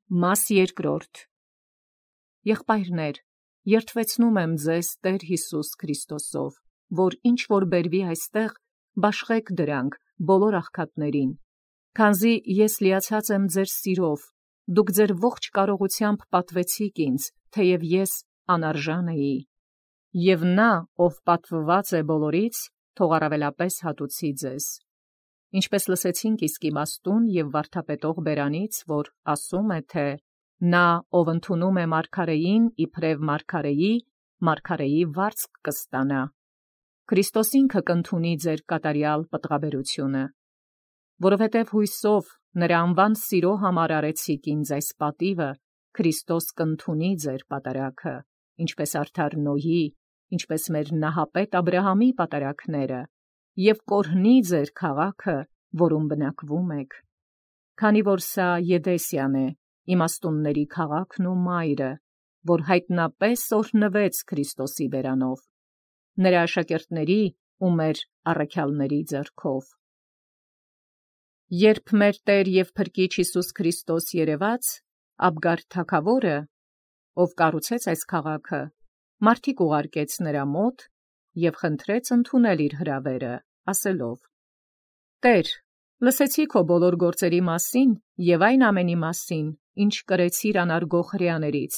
Մաս երկրորդ. Եղբայրներ, երդվեցնում եմ ձեզ Տեր Հիսուս Քրիստոսով, որ ինչ որ բերվի այստեղ, բաշխեք դրանք բոլոր աղքատներին, քանզի ես լիացած եմ ձեր սիրով, դուք ձեր ողջ կարողությամբ պատվեցիք ինձ, թեև ես անարժան էի, և նա, ով պատվված է բոլորից, թող առավելապես հատուցի ձեզ. Ինչպես լսեցինք իսկ իմաստուն և վարդապետող բերանից, որ ասում է, թե նա, ով ընդունում է մարգարեին իբրև մարգարեի, մարգարեի վարձք կստանա. Քրիստոս ինքը կընդունի ձեր կատարյալ պտղաբերությունը, որովհետև հույսով նրա անվան սիրո համար արեցիք ինձ այս պատիվը, Քրիստոս կընդունի ձեր պատարագը, ինչպես արդար Նոյի, ինչպես մեր նահապետ Աբրահամի պատարագները, և կորհնի ձեր քաղաքը, որում բնակվում եք, քանի որ սա Եդեսիան է, իմաստունների քաղաքն ու մայրը, որ հայտնապես օրհնվեց Քրիստոսի բերանով, նրա աշակերտների ու մեր առաքյալների ձեռքով։ Երբ մեր Տեր և Փրկիչ Հիսուս Քրիստոս երևաց, Աբգար թագավորը, ով կառուցեց այս քաղաքը, մարդիկ ուղարկեց նրա մոտ և խնդրեց ընդունել իր հրավերը, ասելով. Տեր, լսեցի քո բոլոր գործերի մասին և այն ամենի մասին, ինչ կրեցիր անարգող հրեաներից,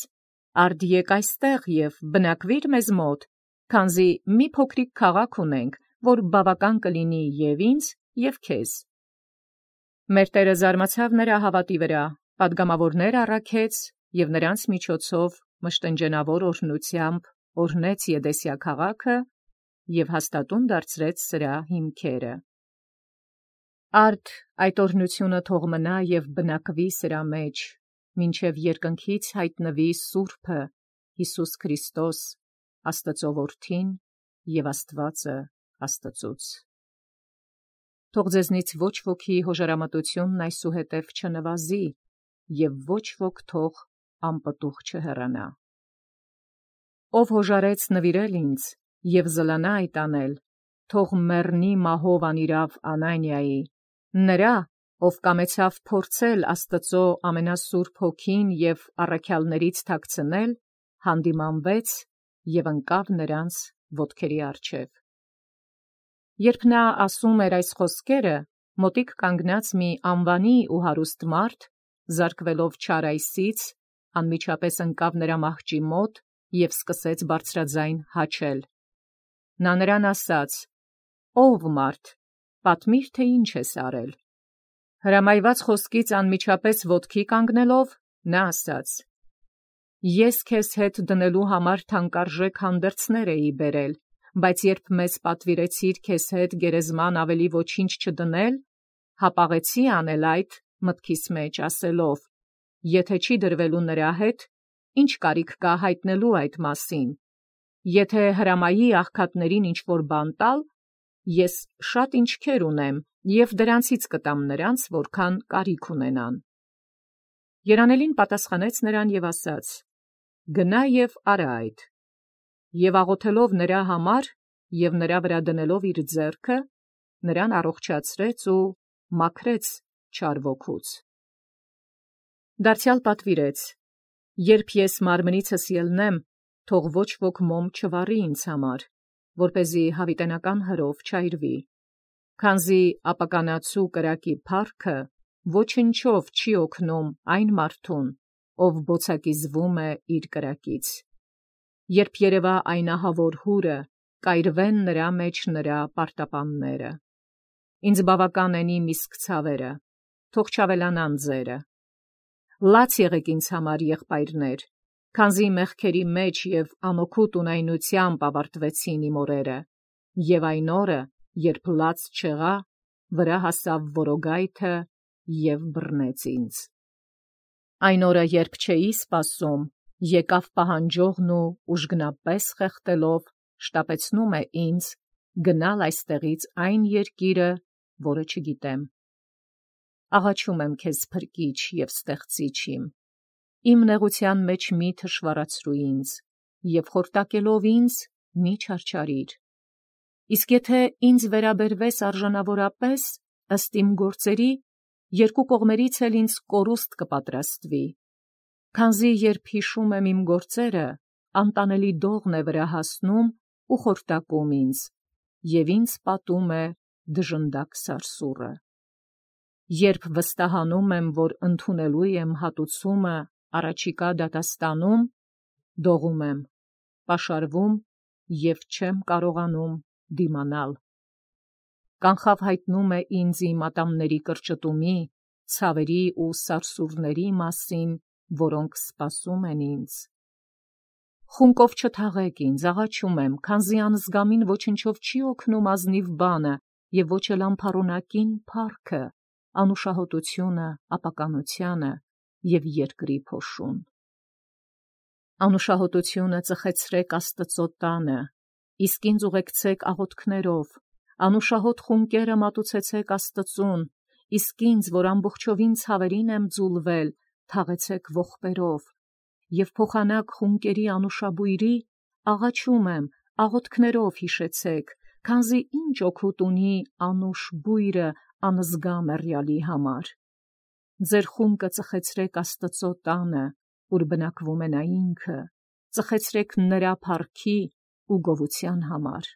արդ եկ այստեղ և բնակվիր մեզ մոտ, քանզի մի փոքրիկ քաղաք ունենք, որ բավական կլինի և ինձ, և քեզ։ Մեր Տերը զարմացավ նրա հավատի վրա, պատգամավորներ առաքեց և նրանց միջոցով մշտնջենավոր օրհնությամբ օրհնեց Եդեսիա քաղաքը և հաստատուն դարձրեց սրա հիմքերը։ Արդ այդ օրհնությունը թող մնա և բնակվի սրա մեջ, մինչև երկնքից հայտնվի Սուրբը, Հիսուս Քրիստոս, Աստծո Որդին և Աստվածը Աստծուց։ Թող ձեզնից ոչ ոքի հոժարամտությունն այսուհետև չնվազի, և ոչ ոք թող անպտուղ չհեռանա։ Ով հոժարեց նվիրել ինձ և զլանա այդ անել, թող մեռնի մահով անիրավ Անանիայի, նրա, ով կամեցավ փորձել Աստծո ամենասուրբ Հոգին և առաքյալներից թաքցնել, հանդիմանվեց և ընկավ նրանց ոտքերի առջև։ Երբ նա ասում էր այս խոսքերը, մոտիկ կանգնած մի անվանի ու հարուստ մարդ, զարկվելով չար այսից, անմիջապես ընկավ նրա մահճի մոտ և սկսեց բարձրաձայն հաչել։ Նա նրան ասաց. «Ով մարդ, պատմիր, թե ինչ ես արել»։ Հրամայված խոսքից անմիջապես ոտքի կանգնելով, նա ասաց. «Ես քեզ հետ դնելու համար թանկարժեք հանդերձներ էի բերել, բայց երբ մեզ պատվիրեցիր քեզ հետ գերեզման ավելի ոչինչ չդնել, հապաղեցի անել այդ մտքիս մեջ ասելով. եթե չի դրվելու նրա հետ, ինչ կարիք կա հայտնելու այդ մասին, եթե հրամայի աղքատներին ինչ-որ բան տալ, ես շատ ինչքեր ունեմ և դրանցից կտամ նրանց, որքան կարիք ունենան։ Երանելին պատասխանեց նրան և ասաց. գնա և արա այդ։ Եվ աղոթելով նրա համար և նրա վրա դնելով իր ձեռքը, նրան առողջացրեց ու մաքրեց չար ոգուց։ Դարձյալ պատվիրեց. երբ ես մարմնիցս ելնեմ, թող ոչ ոք մոմ չվառի ինձ համար, որպեսզի հավիտենական հրով չայրվի, քանզի ապականացու կրակի փառքը ոչնչով չի օգնում այն մարդուն, ով բոցակիզվում է իր կրակից։ Երբ երևա այն ահավոր հուրը, կայրվեն նրա մեջ նրա պարտապանները։ Ինձ բավական են իմ իսկ ցավերը, թող չավելանան ձերը։ Լաց եղեք ինձ համար, եղբայրներ, քանզի մեղքերի մեջ և անօգուտ ունայնությամբ ավարտվեցին իմ օրերը, և այն օրը, երբ լաց չեղա, վրա հասավ որոգայթը և բռնեց ինձ։ Այն օրը, երբ չէի սպասում, եկավ պահանջողն ու ուժգնապես խեղդելով շտապեցնում է ինձ գնալ այստեղից այն երկիրը, որը չգիտեմ։ Աղաչում եմ քեզ, Փրկիչ և ստեղծիչ իմ, իմ նեղության մեջ մի թշվառացրու ինձ, և խորտակելով ինձ մի չարչարիր։ Իսկ եթե ինձ վերաբերվես արժանավորապես, ըստ իմ գործերի, երկու կողմերից էլ ինձ կորուստ կպատրաստվի, Քանզի երբ հիշում եմ իմ գործերը, անտանելի դողն է վրա հասնում ու խորտակում ինձ, և ինձ պատում է դժնդակ սարսուռը։ Երբ վստահանում եմ, որ ընդունելու եմ հատուցումը առաջիկա դատաստանում, դողում եմ, պաշարվում և չեմ կարողանում դիմանալ։ Կանխավ հայտնում է ինձ իմ ատամների կրճտումի, ցավերի ու սարսուռների մասին, որոնք սպասում են ինձ։ Խունկով չթաղեք ինձ, աղաչում եմ, քանզի անզգամին ոչնչով չի օգնում ազնիվ բանը և ոչ էլ անփառունակին փառքը, անուշահոտությունը, ապականությունը և երկրի փոշուն։ Անուշահոտությունը ծխեցրեք Աստծո տանը, իսկ ինձ ուղեկցեք աղոթքներով, անուշահոտ խունկերը մատուցեցեք Աստծուն, իսկ ինձ, որ ամբողջովին ցավերին եմ ձուլվել, թաղեցեք ողբերով, և փոխանակ խունկերի անուշաբույրի, աղաչում եմ, աղոթքներով հիշեցեք, քանզի ինչ օգուտ ունի անուշ բույրը անզգա մեռյալի համար։ Ձեր խունկը ծխեցրեք Աստծո տանը, ուր բնակվում է նա ինքը, ծխեցրեք նրա փառքի ու գովության համար։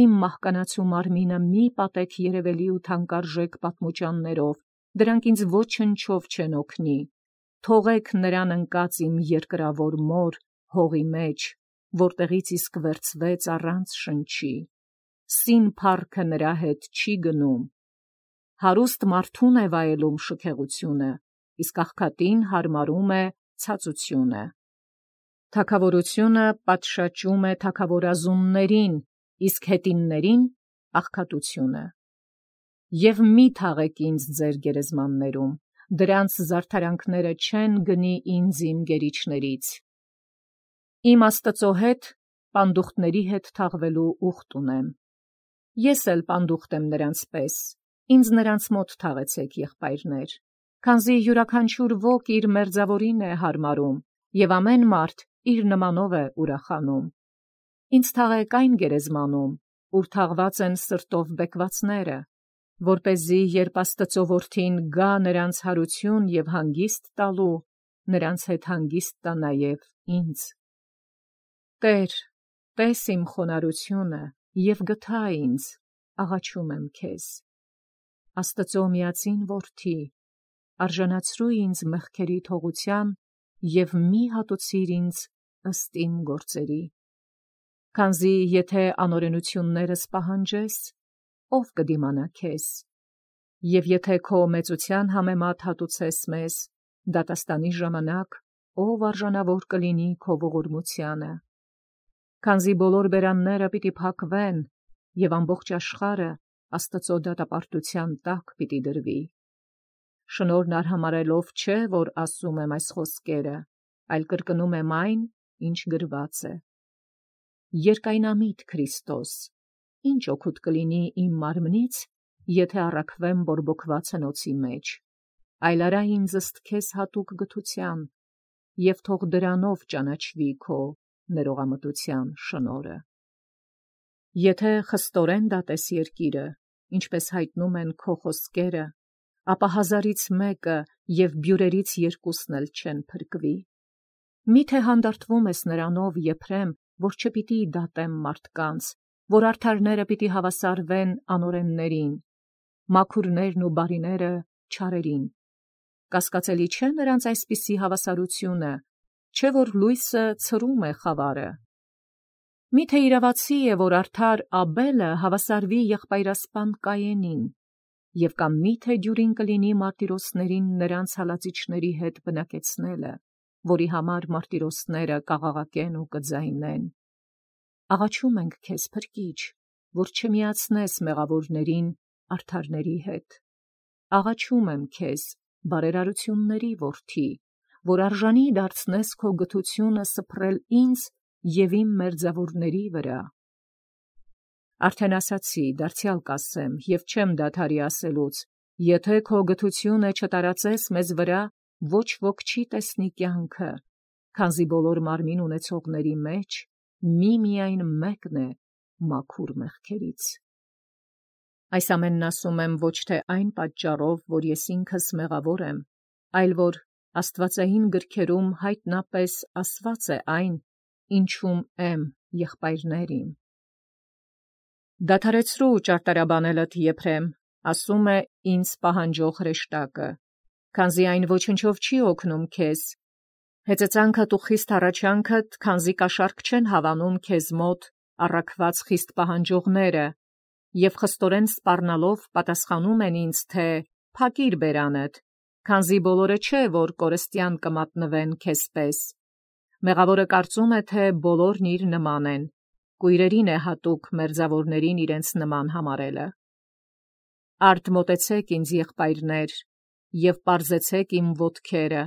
Իմ մահկանացու մարմինը մի պատեք երևելի ու թանկարժեք պատմուճաններով, դրանք ինձ ոչնչով չեն օգնի։ Թողեք նրան ընկած իմ երկրավոր մոր հողի մեջ, որտեղից իսկ վերցվեց առանց շնչի։ Սին փառքը նրա հետ չի գնում։ Հարուստ մարդուն է վայելում շքեղությունը, իսկ աղքատին հարմարում է ցածությունը։ Թագավորությունը պատշաճում է թագավորազուններին, իսկ հետիններին աղքատությունը։ Եվ մի թաղեք ինձ ձեր գերեզմաններում, դրանց զարդարանքները չեն գնի ինձ իմ գերիչներից։ Իմ Աստծո հետ պանդուխտների հետ թաղվելու ուխտ ունեմ։ Ես էլ պանդուխտ եմ նրանց պես, ինձ նրանց մոտ թաղեցեք, եղբայրներ, քանզի յուրաքանչյուր ոք իր մերձավորին է հարմարում, և ամեն մարդ իր նմանով է ուրախանում։ Ինձ թաղեք այն գերեզմանում, ուր թաղված են սրտով բեկվածները, որպեսզի երբ Աստծո որդին գա նրանց հարություն և հանգիստ տալու, նրանց հետ հանգիստ տա նաև ինձ։ Տեր, տես իմ խոնարհությունը և գթա ինձ, աղաչում եմ քեզ։ Աստծո միածին որդի, արժանացրու ինձ մեղքերի թողության և մի հատուցիր ինձ ըստ իմ գործերի։ Քանզի եթե անօրենություններս պահանջես, ով կդիմանա քեզ, և եթե քո մեծության համեմատ հատուցես մեզ, դատաստանի ժամանակ ով արժանավոր կլինի քո ողորմությանը։ Քանզի բոլոր բերանները պիտի փակվեն, և ամբողջ աշխարհը Աստծո դատապարտության տակ պիտի դրվի։ Շնորհն արհամարհելով չէ, որ ասում եմ այս խոսքերը, այլ կրկնում եմ այն, ինչ գրված է։ Երկայնամիտ Քրիստոս, ինչ օգուտ կլինի իմ մարմնից, եթե առաքվեմ բորբոքված հնոցի մեջ, այլ արա ինձ ըստ քեզ հատուկ գթության, և թող դրանով ճանաչվի քո ներողամտության շնորհը։ Եթե խստորեն դատես երկիրը, ինչպես հայտնում են քո խոսքերը, ապա 1000-ից մեկը և բյուրերից 2-ն էլ չեն փրկվի։ Միթե հանդարտվում ես նրանով, Եփրեմ, որ չպիտի դատեմ մարդկանց, որ արդարները պիտի հավասարվեն անօրեններին, մաքուրներն ու բարիները չարերին։ Կասկածելի չէ նրանց այսպիսի հավասարությունը, չէ որ լույսը ցրում է խավարը։ Միթե իրավացի է, որ արդար Աբելը հավասարվի եղբայրասպան Կայենին, և կամ միթե դյուրին կլինի մարտիրոսներին նրանց հալածիչների հետ բնակեցնելը, որի համար մարտիրոսները կաղաղակեն ու կձայնեն։ Աղաչում ենք քեզ, Փրկիչ, որ չմիացնես մեղավորներին արդարների հետ։ Աղաչում եմ քեզ, բարերարությունների որդի, որ արժանի դարձնես քո գթությունը սփռել ինձ և իմ մերձավորների վրա։ Արդեն ասացի, դարձյալ կասեմ, և չեմ դադարի ասելուց, եթե քո գթությունը չտարածես մեզ վրա, ոչ ոք չի տեսնի կյանքը, քանզի բոլոր մարմին ունեցողների մեջ միայն մեկն է մաքուր մեղքերից։ Այս ամենն ասում եմ ոչ թե այն պատճառով, որ ես ինքս մեղավոր եմ, այլ որ Աստվածային գրքերում հայտնապես ասված է այն, ինչում եմ եղբայրներին։ Դադարեցրու ճարտարաբանելդ Եփրեմ, ասում է ինձ պահանջող հրեշտակը, քանզի այն ոչնչով չի օգնում քեզ։ Հեծեծանքդ ու խիստ հառաչանքդ, քանզի կաշառք չեն հավանում քեզ մոտ առաքված խիստ պահանջողները, և խստորեն սպառնալով պատասխանում են ինձ, թե փակիր բերանդ, քանզի բոլորը չէ, որ կորստյան կմատնվեն քեզպես։ Մեղավորը կարծում է, թե բոլորն իր նման են, կույրերին է հատուկ մերձավորներին իրենց նման համարելը։ Արդ մոտեցեք ինձ եղբայրներ, և պարզեցեք իմ ոտքերը,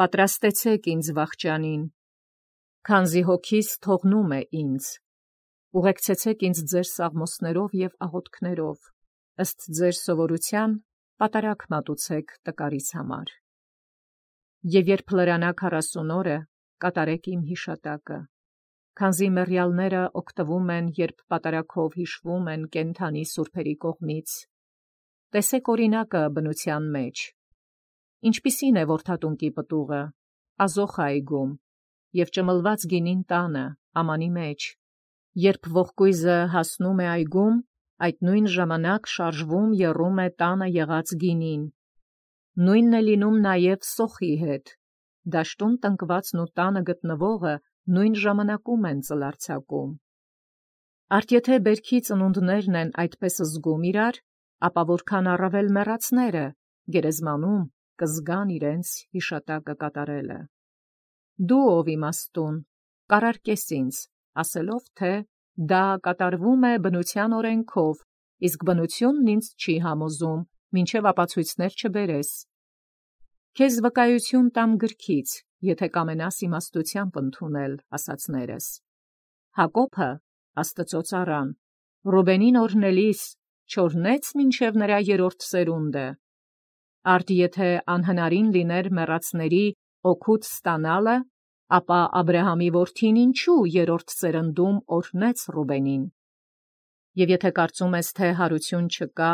պատրաստեցեք ինձ վախճանին, քանզի հոգիս թողնում է ինձ, ուղեկցեցեք ինձ ձեր սաղմոսներով և աղոթքներով, ըստ ձեր սովորության պատարագ մատուցեք տկարից համար։ Եվ երբ լրանա 40 օրը, կատարեք իմ հիշատակը, քանզի մեռյալները օգտվում են, երբ պատարագով հիշվում են կենդանի սուրբերի կողմից։ Տեսեք օրինակը բնության մեջ։ Ինչպիսին է որդատունկի պտուղը, ազոխ այգում, և ճմլված գինին տանը, ամանի մեջ։ Երբ ողկույզը հասնում է այգում, այդ նույն ժամանակ շարժվում եռում է տանը եղած գինին։ Նույնն է լինում նաև սոխի հետ, դաշտում տնկվածն ու տանը գտնվողը նույն ժամանակում են ծլարձակում։ Արդ եթե բերքի ծնունդներն են այդպես զգում իրար, ապա որքան առավել մեռածները գերեզմանում կզգան իրենց հիշատակը կատարելը։ Դու ով իմաստուն, կարարկես ինձ, ասելով, թե դա կատարվում է բնության օրենքով, իսկ բնությունն ինձ չի համոզում, մինչև ապացույցներ չբերես։ Քեզ վկայություն տամ գրքից, եթե կամենաս իմաստությամբ ընդունել ասացներս։ Հակոբը, Աստծո ծառան, Ռուբենին օրհնելիս չօրհնեց մինչև նրա երրորդ սերունդը։ Արդ եթե անհնարին լիներ մեռածների օգուտ ստանալը, ապա Աբրահամի որդին ինչու երրորդ սերնդում օրհնեց Ռուբենին։ Եվ եթե կարծում ես, թե հարություն չկա,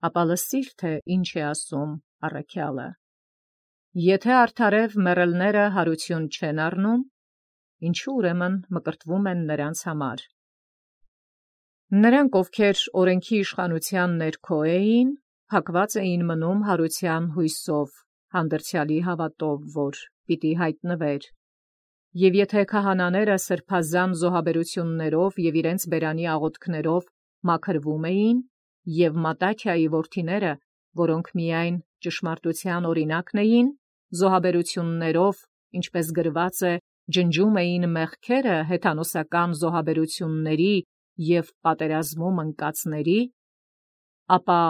ապա լսիր, թե ինչ է ասում առաքյալը։ Եթե արդարև մեռելները հարություն չեն առնում, ինչու ուրեմն մկրտվում են նրանց համար։ Նրանք, ովքեր օրենքի իշխանության ներքո էին, փակված էին մնում հարության հույսով, հանդերձյալի հավատով, որ պիտի հայտնվեր։ Եվ եթե քահանաները սրբազան զոհաբերություններով և իրենց բերանի աղոթքներով մաքրվում էին, և Մատաթիայի որդիները, որոնք միայն ճշմարտության օրինակն էին, զոհաբերություններով, ինչպես գրված է, ջնջում էին մեղքերը հեթանոսական զոհաբերությունների և պատերազմում ընկածների, ապա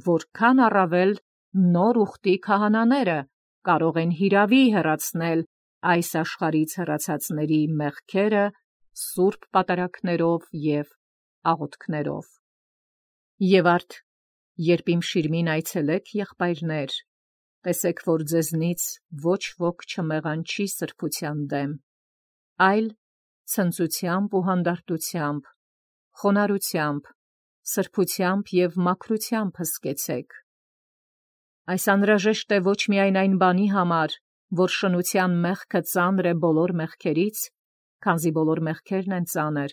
որքան առավել նոր ուխտի քահանաները կարող են հիրավի հեռացնել այս աշխարհից հեռացածների մեղքերը սուրբ պատարագներով և աղոթքներով։ Եվ արդ, երբ իմ շիրմին այցելեք, եղբայրներ, տեսեք, որ ձեզնից ոչ ոք չմեղանչի սրբության դեմ, այլ ցնծությամբ ու հանդարտությամբ, խոնարհությամբ, սրբությամբ և մաքրությամբ հսկեցեք։ Այս անհրաժեշտ է ոչ միայն այն բանի համար, որ շնության մեղքը ծանր է բոլոր մեղքերից, քանզի բոլոր մեղքերն են ծանր,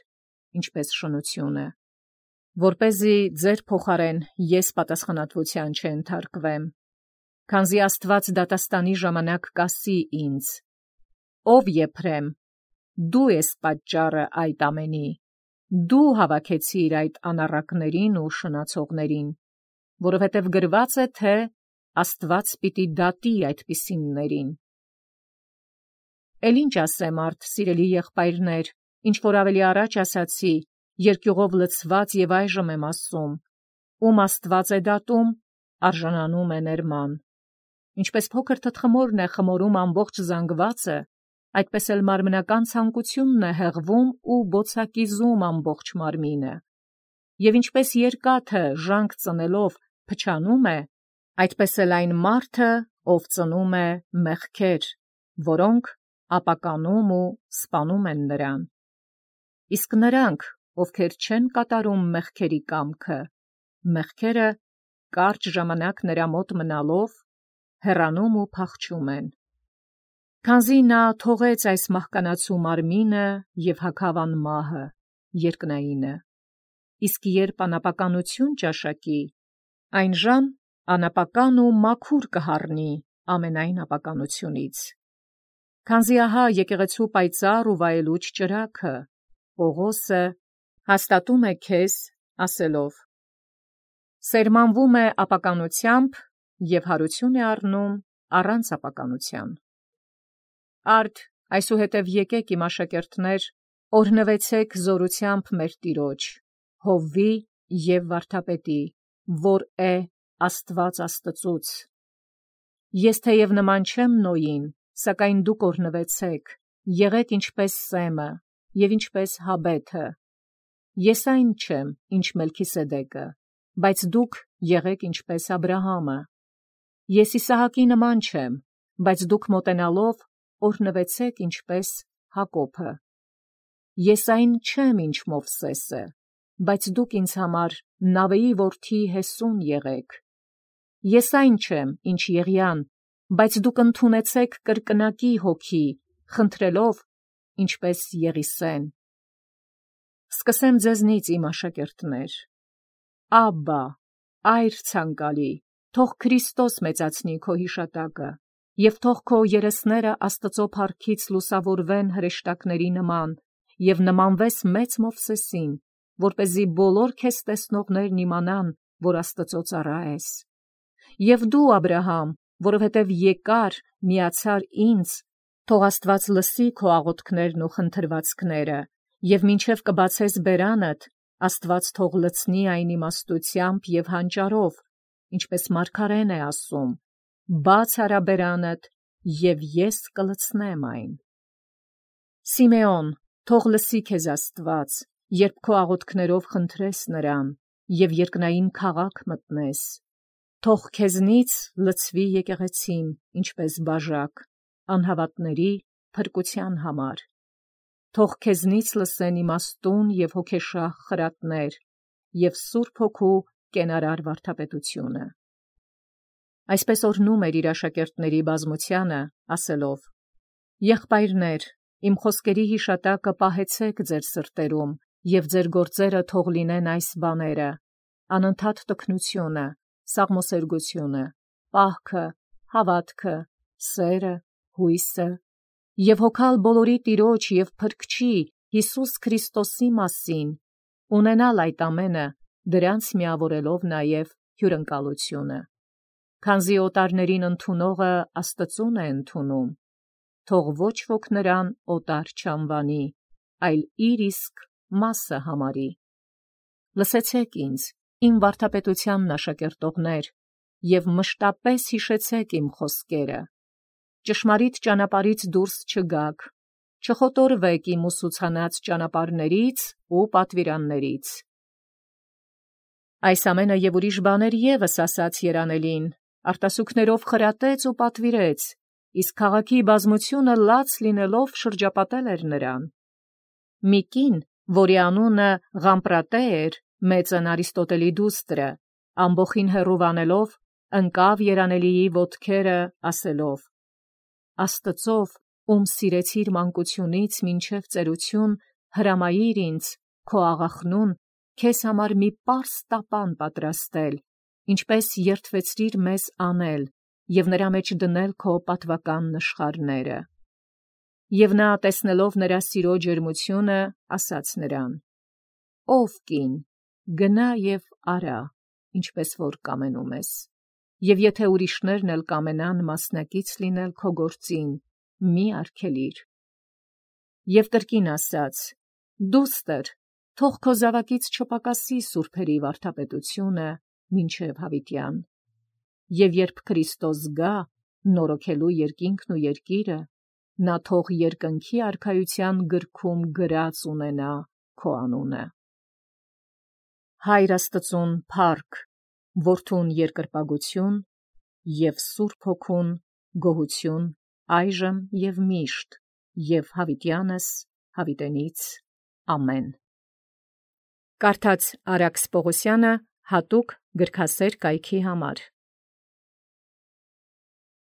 ինչպես շնությունը, որպեսզի ձեր փոխարեն ես պատասխանատվության չենթարկվեմ, քանզի Աստված դատաստանի ժամանակ կասի ինձ. «Ով Եփրեմ, դու ես պատճառը այդ ամենի, դու հավաքեցիր այդ անառակներին ու շնացողներին, որովհետև գրված է, թե Աստված պիտի դատի այդպիսիններին»։ Էլ ինչ ասեմ արդ, սիրելի եղբայրներ, ինչ որ ավելի առաջ ասացի, երկյուղով լցված և այժմ եմ ասում, ում Աստված է դատում, արժանանում է ներման։ Ինչպես փոքր թտխմորն է խմորում ամբողջ զանգվածը, այդպես էլ մարմնական ցանկությունն է հեղվում ու բոցակիզում ամբողջ մարմինը։ Եվ ինչպես երկաթը ժանք ծնելով փչանում է, այդպես էլ այն մարդը, ով ծնում է մեղքեր, որոնք ապականում ու սպանում են նրան։ Իսկ նրանք, ովքեր չեն կատարում մեղքերի կամքը, մեղքերը կարճ ժամանակ նրա մոտ մնալով, հեռանում ու փախչում են։ Քանզի նա թողեց այս մահկանացու մարմինը և հագավ անմահը, երկնայինը, իսկ երբ անապականություն ճաշակի, այնժամ անապական ու մաքուր կհառնի ամենայն ապականությունից։ Քանզի ահա եկեղեցու պայծառ ու վայելուչ ճրագը, Պողոսը, հաստատում է քեզ, ասելով. սերմանվում է ապականությամբ և հարություն է առնում առանց ապականության։ Արդ այսուհետև եկեք իմ աշակերտներ, օրհնվեցեք զորությամբ մեր Տիրոջ, Հովվի և վարդապետի, որ է Աստված Աստծուց։ Ես թեև նման չեմ Նոյին, սակայն դուք օրհնվեցեք, եղեք ինչպես Սեմը և ինչպես Հաբեթը։ Ես այն չեմ, ինչ Մելքիսեդեկը, բայց դուք եղեք ինչպես Աբրահամը։ Ես Իսահակի նման չեմ, բայց դուք մոտենալով օրհնվեցեք ինչպես Հակոբը։ Ես այն չեմ, ինչ Մովսեսը, բայց դուք ինձ համար Նավեի որդի Հեսուն եղեք։ Ես այն չեմ, ինչ Եղիան, բայց դուք ընդունեցեք կրկնակի հոգի, խնդրելով, ինչպես Եղիսեն։ Սկսեմ ձեզնից, իմ աշակերտներ. Աբբա, այր ցանկալի, թող Քրիստոս մեծացնի քո հիշատակը, և թող քո երեսները Աստծո փառքից լուսավորվեն հրեշտակների նման, և նմանվես մեծ Մովսեսին, որպեսզի բոլոր քեզ տեսնողներն իմանան, որ Աստծո ծառա ես։ Եվ դու, Աբրահամ, որովհետև եկար, միացար ինձ, թող Աստված լսի քո աղոթքներն ու խնդրվածքները, և մինչև կբացես բերանդ, Աստված թող լցնի այն իմաստությամբ և հանճարով, ինչպես մարգարեն է ասում. բաց արա բերանդ, և ես կլցնեմ այն։ Սիմեոն, թող լսի քեզ Աստված, երբ քո աղոթքներով խնդրես նրան, և երկնային քաղաք մտնես։ Թող քեզնից լցվի եկեղեցին, ինչպես բաժակ, անհավատների փրկության համար։ Թող քեզնից լսեն իմաստուն և հոգեշահ խրատներ և Սուրբ Հոգու կենարար վարդապետությունը։ Այսպես օրհնում էր իր աշակերտների բազմությանը, ասելով. եղբայրներ, իմ խոսքերի հիշատակը պահեցեք ձեր սրտերում, և ձեր գործերը թող լինեն այս բաները. անընդհատ տքնությունը, սաղմոսերգությունը, պահքը, հավատքը, սերը, հույսը, և հոգալ բոլորի Տիրոջ և Փրկչի Հիսուս Քրիստոսի մասին, ունենալ այդ ամենը, դրանց միավորելով նաև հյուրընկալությունը։ Քանզի օտարներին ընդունողը Աստծուն է ընդունում, թող ոչ ոք նրան օտար չանվանի, այլ իր իսկ մասը համարի։ Լսեցեք ինձ, իմ վարդապետությանն աշակերտողներ, և մշտապես հիշեցեք իմ խոսքերը։ Ճշմարիտ ճանապարհից դուրս չգաք, չխոտորվեք իմ ուսուցանած ճանապարհներից ու պատվիրաններից։ Այս ամենը և ուրիշ բաներ ևս ասաց երանելին, արտասուքներով խրատեց ու պատվիրեց, իսկ քաղաքի բազմությունը լաց լինելով շրջապատել էր նրան։ Մի կին, որի անունը Ղամպրատե էր, մեծն Արիստոտելի դուստրը, ամբոխին հեռուվանելով, ընկավ երանելիի ոտքերը, ասելով. Աստծով, ում սիրեցիր մանկությունից մինչև ծերություն, հրամայիր ինձ, քո աղախնուն, քեզ համար մի պարզ տապան պատրաստել, ինչպես երդվեցրիր մեզ անել, և նրա մեջ դնել քո պատվական նշխարները։ Եվ նա, տեսնելով նրա սիրո ջերմությունը, ասաց նրան. Ով կին, գնա և արա, ինչպես որ կամենում ես, և եթե ուրիշներն էլ կամենան մասնակից լինել քո գործին, մի արգելիր։ Եվ կրկին ասաց. դուստր, թող քո զավակից չպակասի սուրբերի վարդապետությունը մինչև հավիտյան։ Եվ երբ Քրիստոս գա, նորոգելու երկինքն ու երկիրը, նա թող երկնքի արքայության գրքում գրած ունենա քո անունը։ Հայր Աստծուն փառք, Որդուն երկրպագություն և Սուրբ Հոգուն գոհություն այժմ և միշտ և հավիտյանս հավիտենից ամեն։ Կարդաց Արաքս Պողոսյանը հատուկ գրքասեր կայքի համար։